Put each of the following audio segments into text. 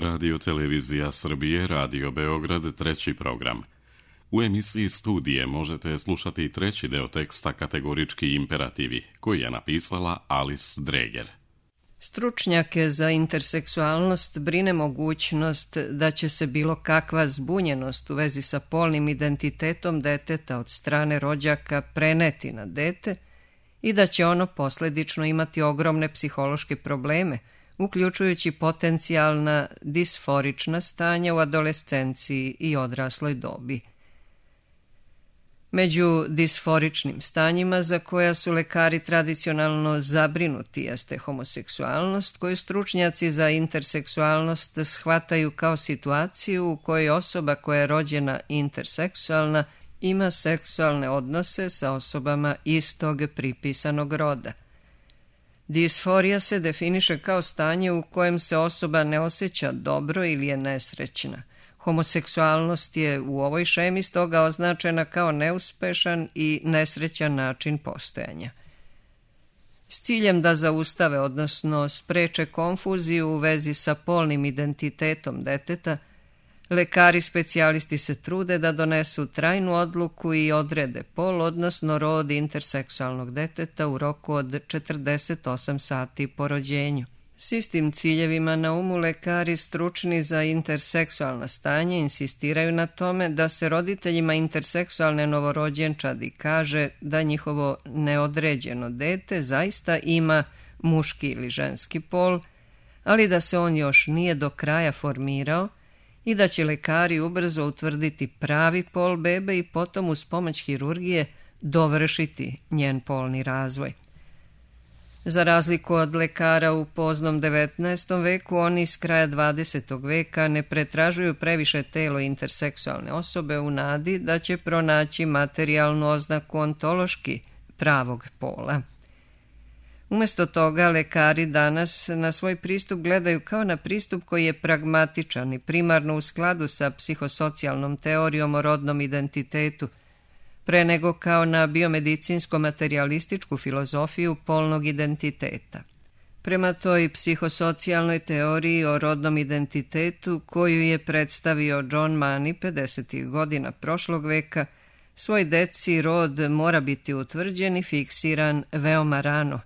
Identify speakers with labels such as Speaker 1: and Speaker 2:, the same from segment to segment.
Speaker 1: Radio Televizija Srbije, Radio Beograd, treći program. U emisiji Studije možete slušati treći deo teksta Kategorički imperativi, koji je napisala Alice Dreger.
Speaker 2: Stručnjake za interseksualnost brine mogućnost da će se bilo kakva zbunjenost u vezi sa polnim identitetom deteta od strane rođaka preneti na dete i da će ono posledično imati ogromne psihološke probleme, uključujući potencijalna disforična stanja u adolescenciji i odrasloj dobi. Među disforičnim stanjima za koja su lekari tradicionalno zabrinuti jeste homoseksualnost, koju stručnjaci za interseksualnost shvataju kao situaciju u kojoj osoba koja je rođena interseksualna ima seksualne odnose sa osobama istog pripisanog roda. Disforija se definiše kao stanje u kojem se osoba ne osjeća dobro ili je nesrećna. Homoseksualnost je u ovoj šemi stoga označena kao neuspešan i nesrećan način postojanja. S ciljem da zaustave, odnosno spreče konfuziju u vezi sa polnim identitetom deteta, lekari specijalisti se trude da donesu trajnu odluku i odrede pol, odnosno rod interseksualnog deteta u roku od 48 sati po rođenju. S istim ciljevima na umu lekari stručni za interseksualna stanja insistiraju na tome da se roditeljima interseksualne novorođenčadi kaže da njihovo neodređeno dete zaista ima muški ili ženski pol, ali da se on još nije do kraja formirao i da će lekari ubrzo utvrditi pravi pol bebe i potom uz pomoć hirurgije dovršiti njen polni razvoj. Za razliku od lekara u poznom 19. veku, oni iz kraja 20. veka ne pretražuju previše telo interseksualne osobe u nadi da će pronaći materijalnu oznaku ontološki pravog pola. Umjesto toga, lekari danas na svoj pristup gledaju kao na pristup koji je pragmatičan i primarno u skladu sa psihosocijalnom teorijom o rodnom identitetu, pre nego kao na biomedicinsko-materialističku filozofiju polnog identiteta. Prema toj psihosocijalnoj teoriji o rodnom identitetu koju je predstavio John Money 50. godina prošlog veka, svoj deci rod mora biti utvrđen i fiksiran veoma rano.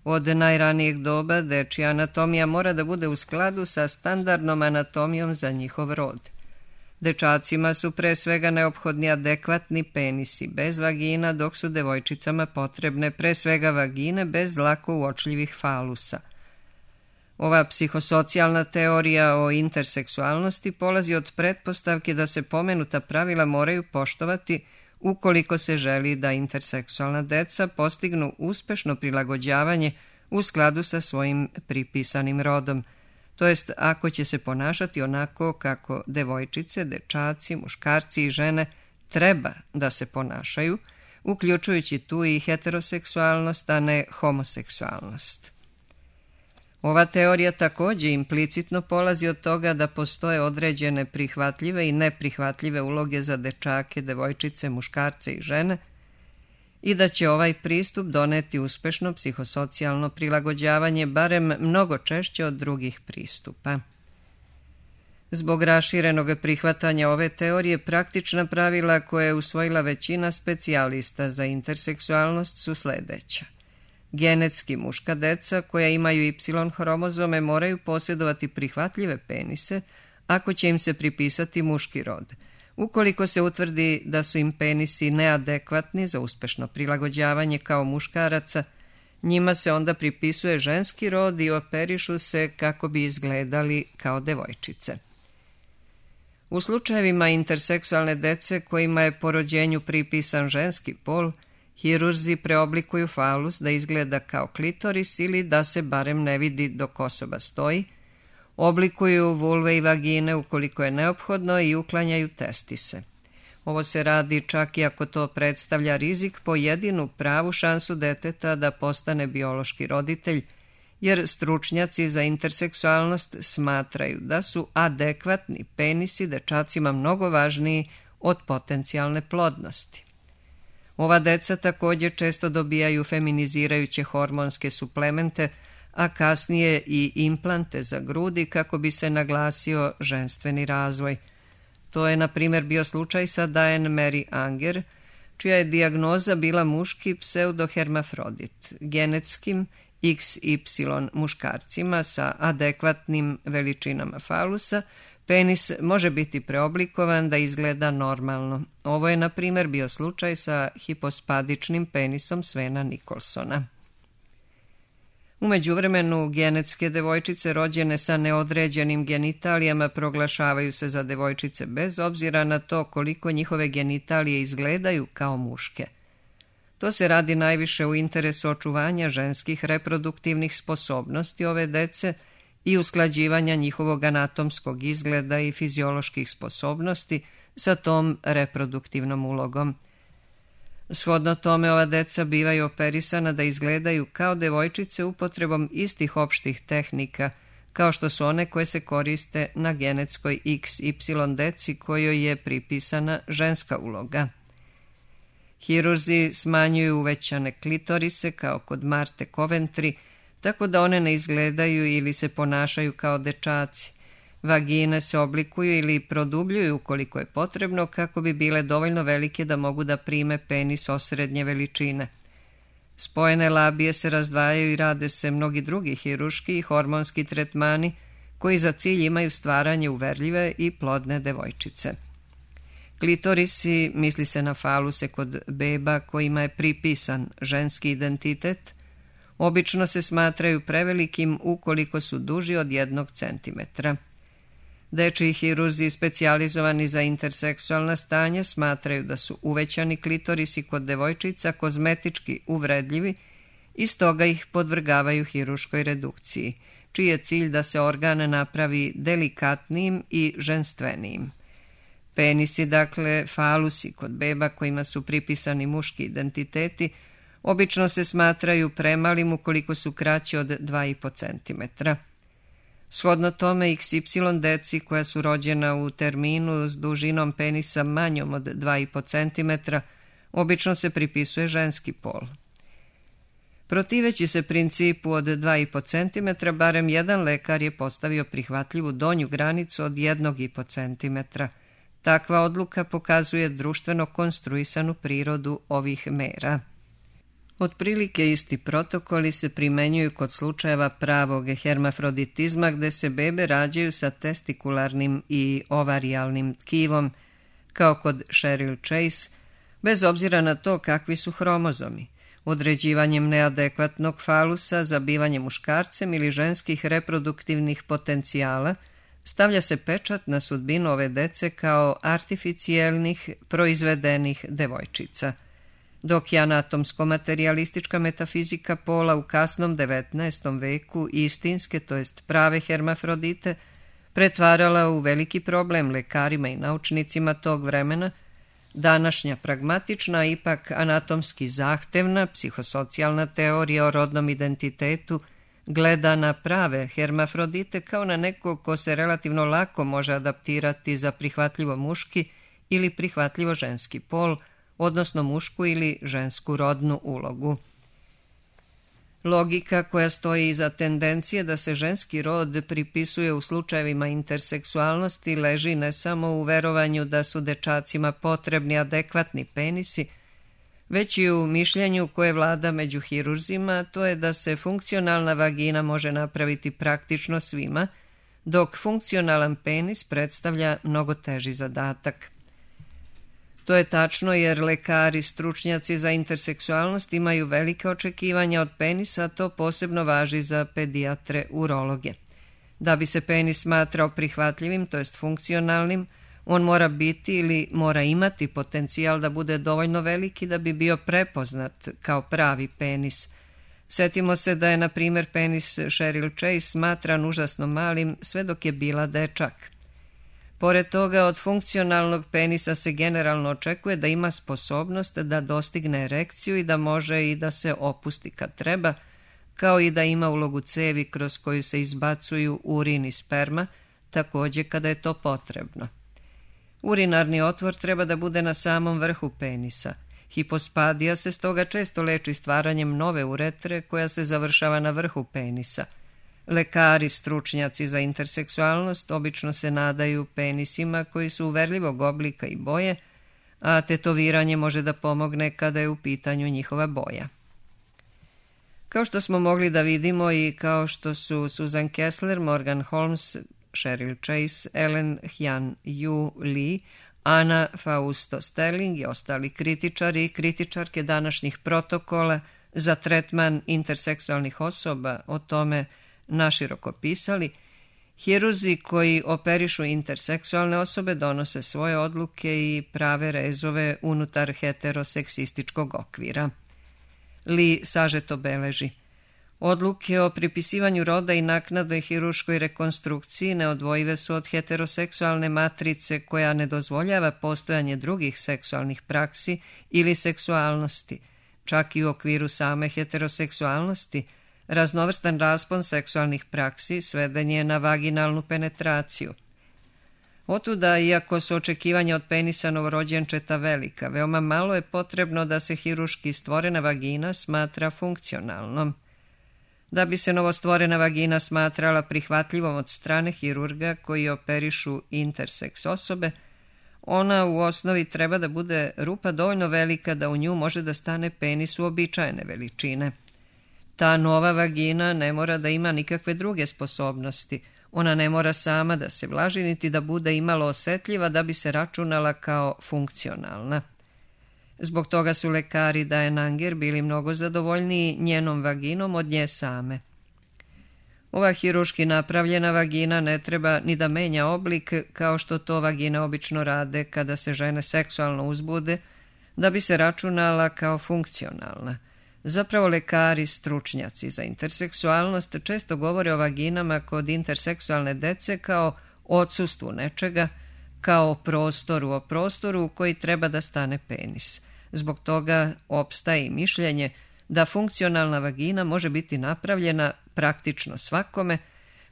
Speaker 2: Od najranijeg doba dečija anatomija mora da bude u skladu sa standardnom anatomijom za njihov rod. Dečacima su pre svega neophodni adekvatni penisi bez vagina, dok su devojčicama potrebne pre svega vagine bez lako uočljivih falusa. Ova psihosocijalna teorija o interseksualnosti polazi od pretpostavke da se pomenuta pravila moraju poštovati ukoliko se želi da interseksualna deca postignu uspešno prilagođavanje u skladu sa svojim pripisanim rodom, to jest ako će se ponašati onako kako devojčice, dečaci, muškarci i žene treba da se ponašaju, uključujući tu i heteroseksualnost, a ne homoseksualnost. Ova teorija također implicitno polazi od toga da postoje određene prihvatljive i neprihvatljive uloge za dečake, devojčice, muškarce i žene i da će ovaj pristup doneti uspešno psihosocijalno prilagođavanje barem mnogo češće od drugih pristupa. Zbog raširenog prihvatanja ove teorije, praktična pravila koje je usvojila većina specijalista za interseksualnost su sledeća. Genetski muška deca koja imaju Y hromozome moraju posjedovati prihvatljive penise ako će im se pripisati muški rod. Ukoliko se utvrdi da su im penisi neadekvatni za uspešno prilagođavanje kao muškaraca, njima se onda pripisuje ženski rod i operišu se kako bi izgledali kao devojčice. U slučajevima interseksualne dece kojima je po rođenju pripisan ženski pol, hirurzi preoblikuju falus da izgleda kao klitoris ili da se barem ne vidi dok osoba stoji, oblikuju vulve i vagine ukoliko je neophodno i uklanjaju testise. Ovo se radi čak i ako to predstavlja rizik po jedinu pravu šansu deteta da postane biološki roditelj, jer stručnjaci za interseksualnost smatraju da su adekvatni penisi dečacima mnogo važniji od potencijalne plodnosti. Ova deca također često dobijaju feminizirajuće hormonske suplemente, a kasnije i implante za grudi kako bi se naglasio ženstveni razvoj. To je, na primjer, bio slučaj sa Diane Mary Anger, čija je dijagnoza bila muški pseudohermafrodit, genetskim XY muškarcima sa adekvatnim veličinama falusa. Penis može biti preoblikovan da izgleda normalno. Ovo je, na primjer, bio slučaj sa hipospadičnim penisom Svena Nicholsona. U međuvremenu, genetske devojčice rođene sa neodređenim genitalijama proglašavaju se za devojčice bez obzira na to koliko njihove genitalije izgledaju kao muške. To se radi najviše u interesu očuvanja ženskih reproduktivnih sposobnosti ove dece i usklađivanja njihovog anatomskog izgleda i fizioloških sposobnosti sa tom reproduktivnom ulogom. Shodno tome, ova deca bivaju operisana da izgledaju kao devojčice upotrebom istih opštih tehnika, kao što su one koje se koriste na genetskoj XY deci kojoj je pripisana ženska uloga. Hirurzi smanjuju uvećane klitorise kao kod Marte Coventry, tako da one ne izgledaju ili se ponašaju kao dečaci. Vagine se oblikuju ili produbljuju ukoliko je potrebno kako bi bile dovoljno velike da mogu da prime penis osrednje veličine. Spojene labije se razdvajaju i rade se mnogi drugi hiruški i hormonski tretmani koji za cilj imaju stvaranje uverljive i plodne devojčice. Klitorisi, misli se na faluse kod beba kojima je pripisan ženski identitet, obično se smatraju prevelikim ukoliko su duži od 1 centimetra. Dečiji hirurzi specijalizovani za interseksualna stanja smatraju da su uvećani klitorisi kod devojčica kozmetički uvredljivi i stoga ih podvrgavaju hiruškoj redukciji, čiji je cilj da se organ napravi delikatnijim i ženstvenijim. Penisi, dakle falusi kod beba kojima su pripisani muški identiteti, obično se smatraju premalim ukoliko su kraći od 2,5 centimetra. Shodno tome, XY deci koja su rođena u terminu s dužinom penisa manjom od 2,5 centimetra, obično se pripisuje ženski pol. Protiveći se principu od 2,5 centimetra, barem jedan lekar je postavio prihvatljivu donju granicu od 1,5 centimetra. Takva odluka pokazuje društveno konstruisanu prirodu ovih mera. Otprilike isti protokoli se primenjuju kod slučajeva pravog hermafroditizma gde se bebe rađaju sa testikularnim i ovarijalnim tkivom, kao kod Cheryl Chase, bez obzira na to kakvi su hromozomi. Određivanjem neadekvatnog falusa, zabivanjem muškarcem ili ženskih reproduktivnih potencijala, stavlja se pečat na sudbinu ove dece kao artificijelnih, proizvedenih devojčica. Dok je anatomsko-materijalistička metafizika pola u kasnom 19. veku istinske, to jest prave hermafrodite, pretvarala u veliki problem lekarima i naučnicima tog vremena, današnja pragmatična, ipak anatomski zahtevna, psihosocijalna teorija o rodnom identitetu gleda na prave hermafrodite kao na nekog ko se relativno lako može adaptirati za prihvatljivo muški ili prihvatljivo ženski pol, odnosno mušku ili žensku rodnu ulogu. Logika koja stoji iza tendencije da se ženski rod pripisuje u slučajevima interseksualnosti leži ne samo u verovanju da su dečacima potrebni adekvatni penisi, već i u mišljenju koje vlada među hirurzima, to je da se funkcionalna vagina može napraviti praktično svima, dok funkcionalan penis predstavlja mnogo teži zadatak. To je tačno jer lekari, stručnjaci za interseksualnost imaju velike očekivanja od penisa, a to posebno važi za pedijatre urologe. Da bi se penis smatrao prihvatljivim, to jest funkcionalnim, on mora biti ili mora imati potencijal da bude dovoljno veliki da bi bio prepoznat kao pravi penis. Sjetimo se da je, na primjer, penis Cheryl Chase smatran užasno malim sve dok je bila dečak. Pored toga, od funkcionalnog penisa se generalno očekuje da ima sposobnost da dostigne erekciju i da može i da se opusti kad treba, kao i da ima ulogu cevi kroz koju se izbacuju urin i sperma, također kada je to potrebno. Urinarni otvor treba da bude na samom vrhu penisa Hipospadija se stoga često leči stvaranjem nove uretre koja se završava na vrhu penisa. Lekari, stručnjaci za interseksualnost obično se nadaju penisima koji su uverljivog oblika i boje, a tetoviranje može da pomogne kada je u pitanju njihova boja. Kao što smo mogli da vidimo i kao što su Susan Kessler, Morgan Holmes, Cheryl Chase, Ellen Hyan-Yu Lee, Ana Fausto Sterling i ostali kritičari i kritičarke današnjih protokola za tretman interseksualnih osoba o tome naširoko pisali, hirurzi koji operišu interseksualne osobe donose svoje odluke i prave rezove unutar heteroseksističkog okvira. Lee sažeto beleži: odluke o pripisivanju roda i naknadnoj hirurškoj rekonstrukciji neodvojive su od heteroseksualne matrice koja ne dozvoljava postojanje drugih seksualnih praksi ili seksualnosti. Čak i u okviru same heteroseksualnosti, raznovrstan raspon seksualnih praksi sveden je na vaginalnu penetraciju. Otuda, iako su očekivanja od penisa novorođenčeta velika, veoma malo je potrebno da se hirurški stvorena vagina smatra funkcionalnom. Da bi se novostvorena vagina smatrala prihvatljivom od strane hirurga koji operišu interseks osobe, ona u osnovi treba da bude rupa dovoljno velika da u nju može da stane penis uobičajene veličine. Ta nova vagina ne mora da ima nikakve druge sposobnosti. Ona ne mora sama da se vlaži niti da bude imalo osetljiva da bi se računala kao funkcionalna. Zbog toga su lekari Diane Anger bili mnogo zadovoljniji njenom vaginom od nje same. Ova hirurški napravljena vagina ne treba ni da menja oblik kao što to vagine obično rade kada se žene seksualno uzbude, da bi se računala kao funkcionalna. Zapravo lekari, stručnjaci za interseksualnost često govore o vaginama kod interseksualne dece kao odsustvu nečega, kao o prostoru u koji treba da stane penis. Zbog toga opstaje i mišljenje da funkcionalna vagina može biti napravljena praktično svakome,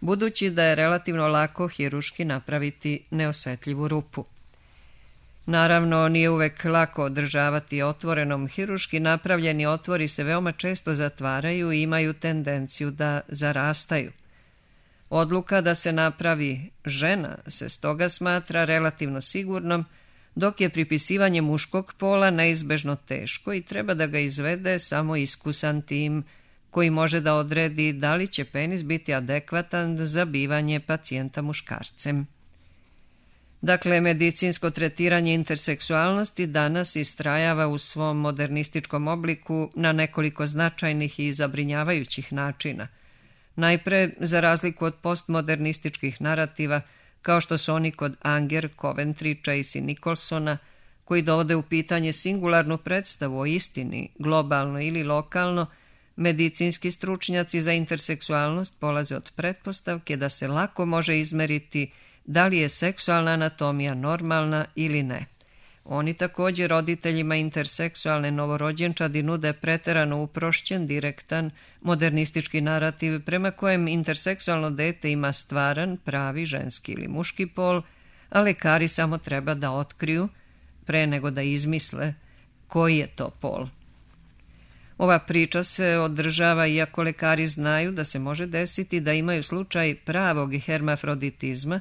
Speaker 2: budući da je relativno lako hirurški napraviti neosetljivu rupu. Naravno, nije uvek lako održavati otvorenom. Hirurški napravljeni otvori se veoma često zatvaraju i imaju tendenciju da zarastaju. Odluka da se napravi žena se stoga smatra relativno sigurnom, dok je pripisivanje muškog pola neizbežno teško i treba da ga izvede samo iskusan tim koji može da odredi da li će penis biti adekvatan za bivanje pacijenta muškarcem. Dakle, medicinsko tretiranje interseksualnosti danas istrajava u svom modernističkom obliku na nekoliko značajnih i zabrinjavajućih načina. Najpre, za razliku od postmodernističkih narativa, kao što su oni kod Anger, Coventry, Chase i Nicholsona, koji dovode u pitanje singularnu predstavu o istini, globalno ili lokalno, medicinski stručnjaci za interseksualnost polaze od pretpostavke da se lako može izmeriti da li je seksualna anatomija normalna ili ne. Oni također roditeljima interseksualne novorođenčadi nude preterano uprošćen, direktan, modernistički narativ prema kojem interseksualno dete ima stvaran, pravi, ženski ili muški pol, a lekari samo treba da otkriju, pre nego da izmisle, koji je to pol. Ova priča se održava iako lekari znaju da se može desiti da imaju slučaj pravog hermafroditizma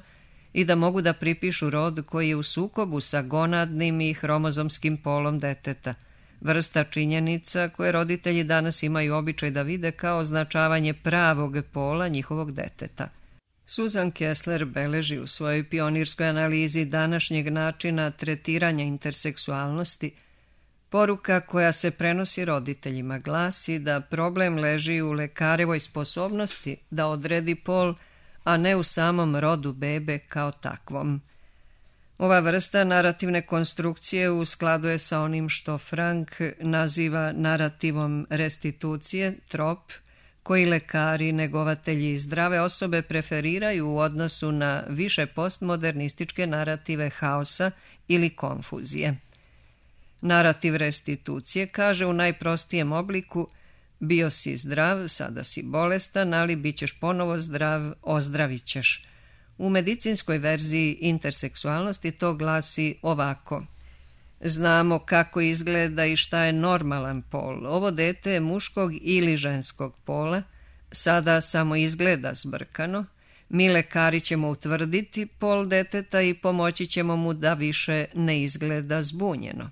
Speaker 2: i da mogu da pripišu rod koji je u sukobu sa gonadnim i hromozomskim polom deteta, vrsta činjenica koje roditelji danas imaju običaj da vide kao označavanje pravog pola njihovog deteta. Susan Kessler beleži u svojoj pionirskoj analizi današnjeg načina tretiranja interseksualnosti. Poruka koja se prenosi roditeljima glasi da problem leži u lekarevoj sposobnosti da odredi pol, a ne u samom rodu bebe kao takvom. Ova vrsta narativne konstrukcije u skladu je sa onim što Frank naziva narativom restitucije, trop, koji lekari, negovatelji zdrave osobe preferiraju u odnosu na više postmodernističke narative haosa ili konfuzije. Narativ restitucije kaže u najprostijem obliku: bio si zdrav, sada si bolestan, ali bit ćeš ponovo zdrav, ozdravit ćeš. U medicinskoj verziji interseksualnosti to glasi ovako: Znamo kako izgleda i šta je normalan pol. Ovo dete je muškog ili ženskog pola, sada samo izgleda zbrkano. Mi lekari ćemo utvrditi pol deteta i pomoći ćemo mu da više ne izgleda zbunjeno.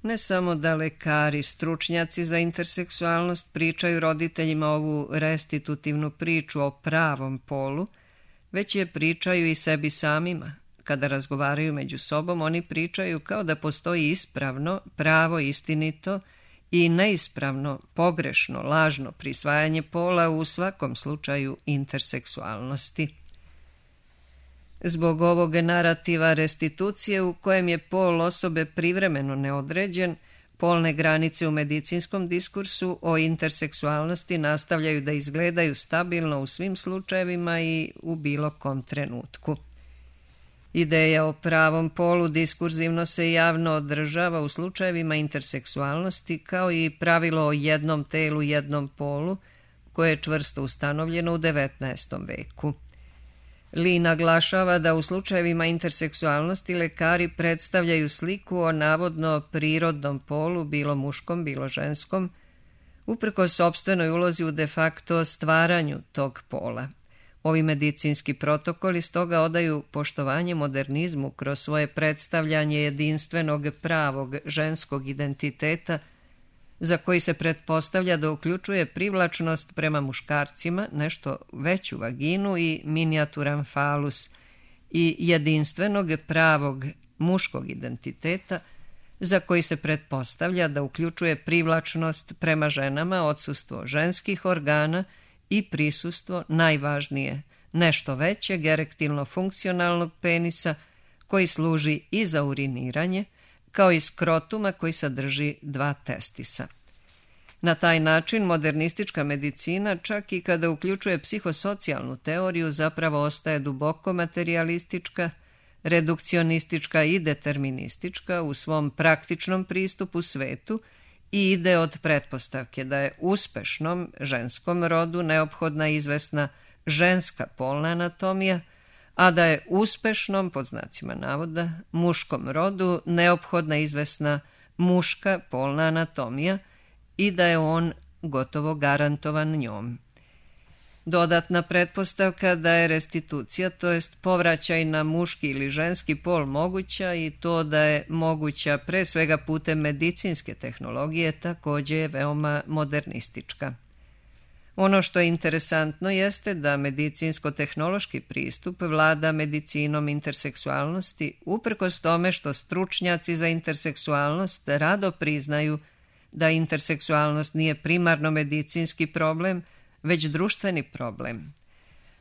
Speaker 2: Ne samo da lekari, stručnjaci za interseksualnost pričaju roditeljima ovu restitutivnu priču o pravom polu, već je pričaju i sebi samima. Kada razgovaraju među sobom, oni pričaju kao da postoji ispravno, pravo, istinito i neispravno, pogrešno, lažno prisvajanje pola u svakom slučaju interseksualnosti. Zbog ovog narativa restitucije u kojem je pol osobe privremeno neodređen, polne granice u medicinskom diskursu o interseksualnosti nastavljaju da izgledaju stabilno u svim slučajevima i u bilo kom trenutku. Ideja o pravom polu diskurzivno se javno održava u slučajevima interseksualnosti kao i pravilo o jednom telu, jednom polu, koje je čvrsto ustanovljeno u 19. veku. Lee naglašava da u slučajevima interseksualnosti lekari predstavljaju sliku o navodno prirodnom polu, bilo muškom, bilo ženskom, uprkos sopstvenoj ulozi u de facto stvaranju tog pola. Ovi medicinski protokoli stoga odaju poštovanje modernizmu kroz svoje predstavljanje jedinstvenog pravog ženskog identiteta, za koji se pretpostavlja da uključuje privlačnost prema muškarcima, nešto veću vaginu i minijaturan falus, i jedinstvenog pravog muškog identiteta, za koji se pretpostavlja da uključuje privlačnost prema ženama, odsustvo ženskih organa i prisustvo, najvažnije, nešto većeg erektilno-funkcionalnog penisa koji služi i za uriniranje, kao i skrotuma koji sadrži 2 testisa. Na taj način modernistička medicina, čak i kada uključuje psihosocijalnu teoriju, zapravo ostaje duboko materijalistička, redukcionistička i deterministička u svom praktičnom pristupu svetu i ide od pretpostavke da je uspešnom ženskom rodu neophodna izvesna ženska polna anatomija, a da je uspešnom, pod znacima navoda, muškom rodu neophodna izvesna muška polna anatomija i da je on gotovo garantovan njom. Dodatna pretpostavka da je restitucija, to jest povraćaj na muški ili ženski pol moguća i to da je moguća pre svega putem medicinske tehnologije, također je veoma modernistička. Ono što je interesantno jeste da medicinsko-tehnološki pristup vlada medicinom interseksualnosti uprkos tome što stručnjaci za interseksualnost rado priznaju da interseksualnost nije primarno medicinski problem, već društveni problem.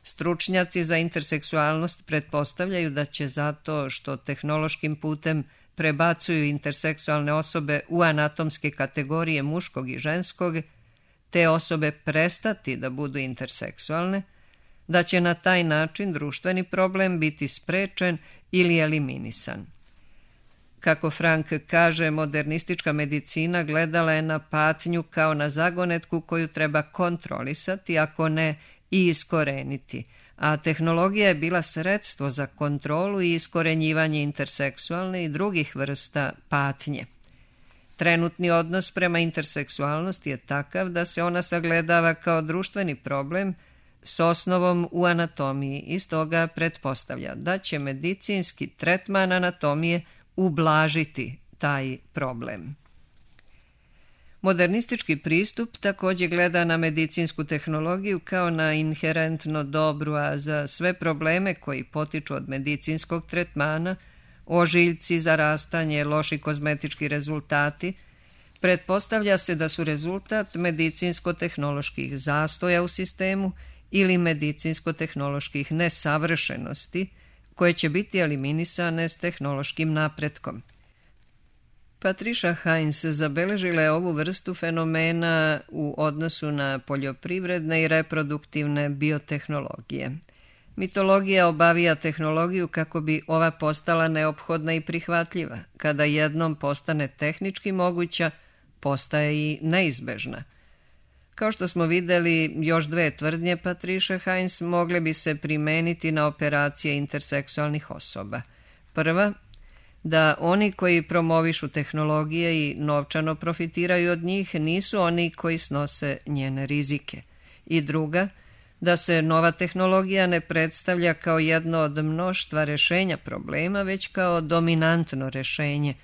Speaker 2: Stručnjaci za interseksualnost pretpostavljaju da će zato što tehnološkim putem prebacuju interseksualne osobe u anatomske kategorije muškog i ženskog, te osobe prestati da budu interseksualne, da će na taj način društveni problem biti sprečen ili eliminisan. Kako Frank kaže, modernistička medicina gledala je na patnju kao na zagonetku koju treba kontrolisati, ako ne i iskoreniti, a tehnologija je bila sredstvo za kontrolu i iskorenjivanje interseksualne i drugih vrsta patnje. Trenutni odnos prema interseksualnosti je takav da se ona sagledava kao društveni problem s osnovom u anatomiji i stoga pretpostavlja da će medicinski tretman anatomije ublažiti taj problem. Modernistički pristup također gleda na medicinsku tehnologiju kao na inherentno dobru, a za sve probleme koji potiču od medicinskog tretmana, ožiljci, zarastanje, loši kozmetički rezultati, pretpostavlja se da su rezultat medicinsko-tehnoloških zastoja u sistemu ili medicinsko-tehnoloških nesavršenosti, koje će biti eliminisane s tehnološkim napretkom. Patricia Heinz zabeležila je ovu vrstu fenomena u odnosu na poljopprivredne i reproduktivne biotehnologije. Mitologija obavija tehnologiju kako bi ova postala neophodna i prihvatljiva. Kada jednom postane tehnički moguća, postaje i neizbežna. Kao što smo vidjeli, još 2 tvrdnje Patricia Heinz mogle bi se primeniti na operacije interseksualnih osoba. Prva, da oni koji promovišu tehnologije i novčano profitiraju od njih nisu oni koji snose njene rizike. I druga, da se nova tehnologija ne predstavlja kao jedno od mnoštva rešenja problema, već kao dominantno rešenje.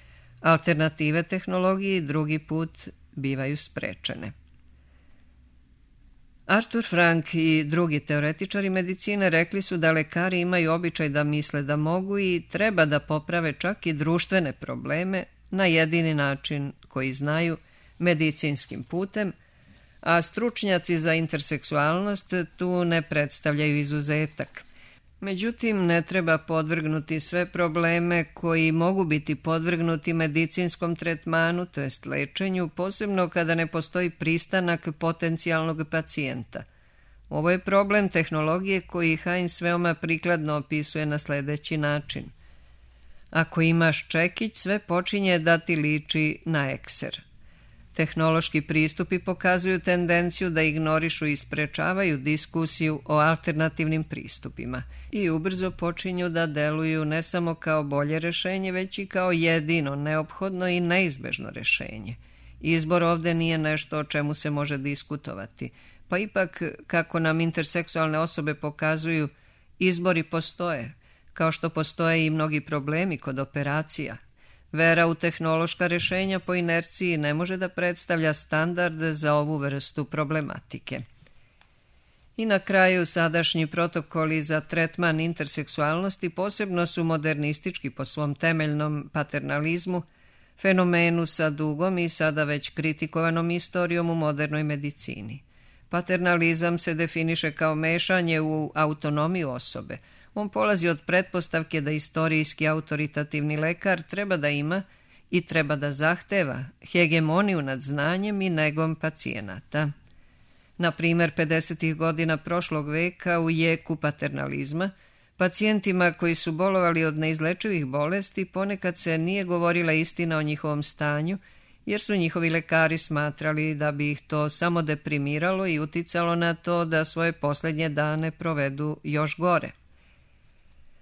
Speaker 2: Alternative tehnologiji drugi put bivaju sprečene. Arthur Frank i drugi teoretičari medicine rekli su da lekari imaju običaj da misle da mogu i treba da poprave čak i društvene probleme na jedini način koji znaju, medicinskim putem, a stručnjaci za interseksualnost tu ne predstavljaju izuzetak. Međutim, ne treba podvrgnuti sve probleme koji mogu biti podvrgnuti medicinskom tretmanu, to jest lečenju, posebno kada ne postoji pristanak potencijalnog pacijenta. Ovo je problem tehnologije koji Heinz veoma prikladno opisuje na sledeći način. Ako imaš čekić, sve počinje da ti liči na ekser. Tehnološki pristupi pokazuju tendenciju da ignorišu i sprečavaju diskusiju o alternativnim pristupima i ubrzo počinju da deluju ne samo kao bolje rešenje, već i kao jedino, neophodno i neizbežno rešenje. Izbor ovde nije nešto o čemu se može diskutovati, pa ipak, kako nam interseksualne osobe pokazuju, izbori postoje, kao što postoje i mnogi problemi kod operacija. Vera u tehnološka rešenja po inerciji ne može da predstavlja standard za ovu vrstu problematike. I na kraju, sadašnji protokoli za tretman interseksualnosti posebno su modernistički po svom temeljnom paternalizmu, fenomenu sa dugom i sada već kritikovanom istorijom u modernoj medicini. Paternalizam se definiše kao mešanje u autonomiju osobe. On polazi od pretpostavke da istorijski autoritativni lekar treba da ima i treba da zahteva hegemoniju nad znanjem i negom pacijenata. Na primer, 50. godina prošlog veka u jeku paternalizma, pacijentima koji su bolovali od neizlečivih bolesti ponekad se nije govorila istina o njihovom stanju, jer su njihovi lekari smatrali da bi ih to samo deprimiralo i uticalo na to da svoje poslednje dane provedu još gore.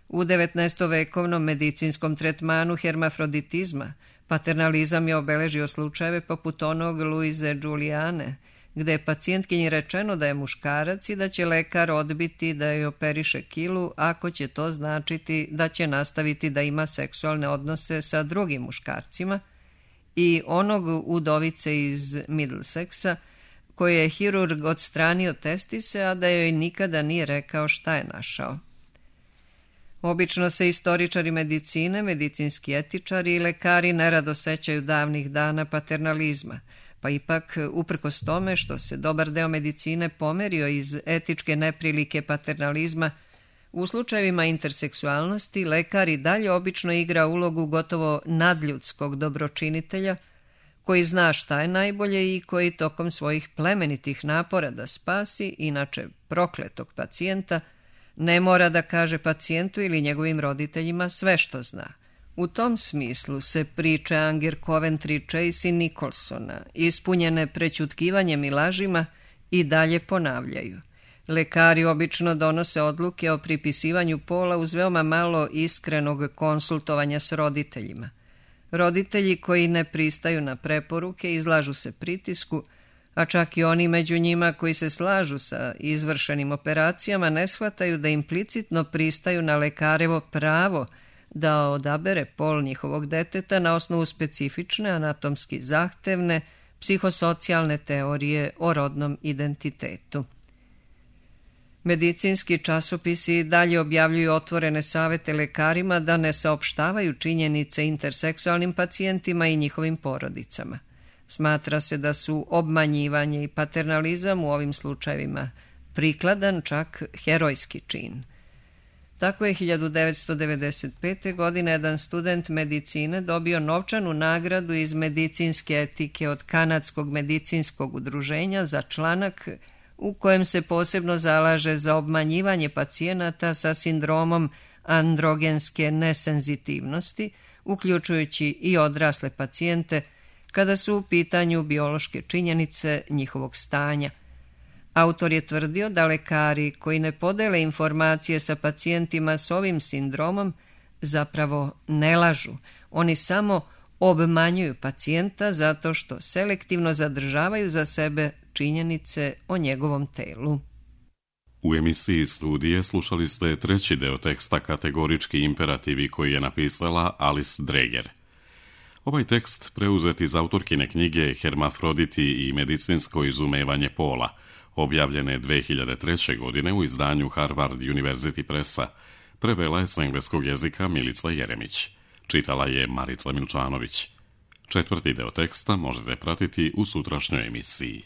Speaker 2: U 19. vekovnom medicinskom tretmanu hermafroditizma paternalizam je obeležio slučajeve poput onog Luize Giuliane, gde je pacijentkinji rečeno da je muškarac i da će lekar odbiti da joj operiše kilu ako će to značiti da će nastaviti da ima seksualne odnose sa drugim muškarcima, i onog udovice iz Middlesexa koje je hirurg odstranio testise, a da joj nikada nije rekao šta je našao. Obično se istoričari medicine, medicinski etičari i lekari nerado sećaju davnih dana paternalizma, pa ipak, uprkos tome što se dobar deo medicine pomerio iz etičke neprilike paternalizma, u slučajevima interseksualnosti lekar i dalje obično igra ulogu gotovo nadljudskog dobročinitelja koji zna šta je najbolje i koji tokom svojih plemenitih napora da spasi, inače prokletog pacijenta, ne mora da kaže pacijentu ili njegovim roditeljima sve što zna. U tom smislu se priče Anger Coventry, Chase i Nicholsona, ispunjene prećutkivanjem i lažima, i dalje ponavljaju. Lekari obično donose odluke o pripisivanju pola uz veoma malo iskrenog konsultovanja s roditeljima. Roditelji koji ne pristaju na preporuke izlažu se pritisku, a čak i oni među njima koji se slažu sa izvršenim operacijama ne shvataju da implicitno pristaju na lekarevo pravo da odabere pol njihovog deteta na osnovu specifične, anatomski zahtevne, psihosocijalne teorije o rodnom identitetu. Medicinski časopisi dalje objavljuju otvorene savete lekarima da ne saopštavaju činjenice interseksualnim pacijentima i njihovim porodicama. Smatra se da su obmanjivanje i paternalizam u ovim slučajevima prikladan, čak herojski čin. Tako je 1995. godine jedan student medicine dobio novčanu nagradu iz medicinske etike od Kanadskog medicinskog udruženja za članak u kojem se posebno zalaže za obmanjivanje pacijenata sa sindromom androgenske nesenzitivnosti, uključujući i odrasle pacijente, kada su u pitanju biološke činjenice njihovog stanja. Autor je tvrdio da lekari koji ne podele informacije sa pacijentima s ovim sindromom zapravo ne lažu. Oni samo obmanjuju pacijenta zato što selektivno zadržavaju za sebe činjenice o njegovom telu.
Speaker 1: U emisiji Studije slušali ste treći deo teksta Kategorički imperativi koji je napisala Alice Dreger. Ovaj tekst preuzet iz autorkine knjige Hermafroditi i medicinsko izumevanje pola, objavljene 2003. godine u izdanju Harvard University Pressa, prevela je s engleskog jezika Milica Jeremić. Čitala je Marica Milčanović. Četvrti deo teksta možete pratiti u sutrašnjoj emisiji.